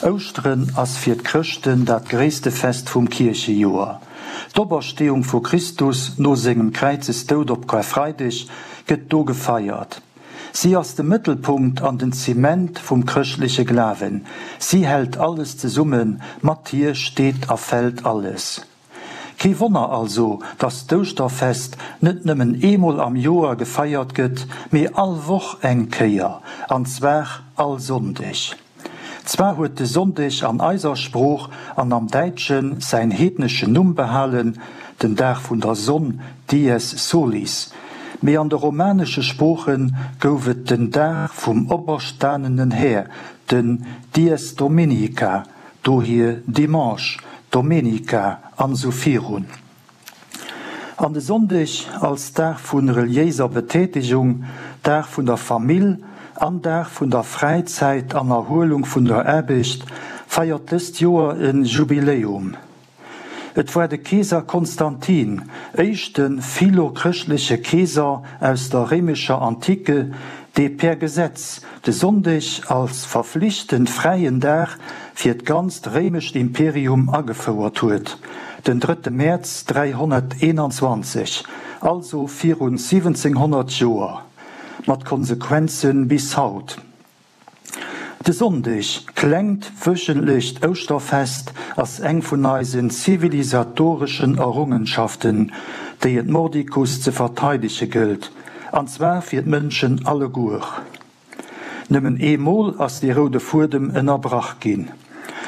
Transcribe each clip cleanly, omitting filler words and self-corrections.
Ouschteren ass fir d'Chrëschten dat gréisste Fest vum Kierchejoer. D'Opersteeung vu Christus no sengem Kräizesdoud op Karfreideg gëtt do gefeiert. Si ass de Mëttelpunkt an den Zement vum chrëschtleche Glawen. Si hält alles zesummen, mat hir steet a fält alles. Kee Wonner also, dass d'Ouschterfest net nëmmen eemol am Joer gefeiert gëtt, mee all Woch eng Kéier, an zwar all Sonndeg. Zwar huet de Sonndeg an eiser Sprooch an am Däitsche säin heedneschen Numm behalen, den Dag vun der Sonn, dies solis, mee an de romanesche Sprooche gouf et den Dag vum operstanenen Här, den dies dominica, Dohier Dimanche, Domenica an esou virun. An de Sonndeg als Dag vu reliéiser Betätegung, Dag vun der Famill an Dag vun der Fräizäit an Erhuelung vun der Aarbecht, feiert dëst Joer e Jubiläum. Et war de Keeser Konstantin, éischte philo-chrëschtleche Keeser aus der réimescher Antike, dee per Gesetz de Sonndeg als verflichtend fräien Dag fir d'ganzt réimescht Imperium agefouert huet, den drëtte Mäerz 321, also virun 1700 Joer, mat Konsequenze bis haut. De Sonndeg, klengt wöchentlecht Ouschterfest, ass eng vun eisen zivilisatoreschen Errungenschaften, déi et mordicus ze verteidege gëllt, an zwar fir d'Mënschen alleguer. Nëmmen eemol ass dee roude Fuedem ënnerbrach ginn.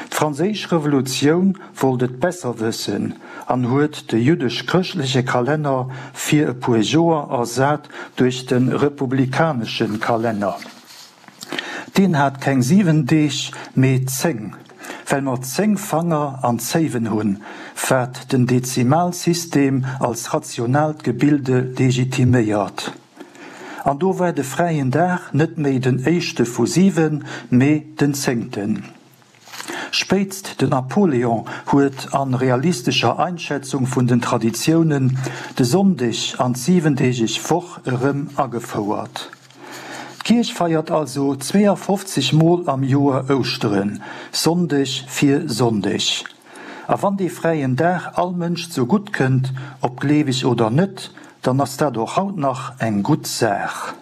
D'Franséisch Revolutioun wollt et besser wëssen an huet de jüddesch-chrëschtleche Kalenner fir e puer Joer ersat duerch de republikanesche Kalenner. Deen hat keng 7 Deeg, mee 10, well mer 10 Fanger an Zéiwen hunn, wat den Dezimalsystem als rationaalt Gebilde legitiméiert. An do war de fräien Dag net méi den éischte vu 7, mee den zéngten. Spéitst den Napoléon huet an realistescher Einschätzung vun den Traditiounen de Sonndeg an d'siwendeegeg Woch erëm agefouert. D'Kierch feiert also 52 Mol am Joer Ouschteren, Sonndeg fir Sonndeg. A wann dee fräien Dag all Mënsch zu gutt kënnt, ob gleeweg oder net, dann ass dat och haut nach eng gutt Saach.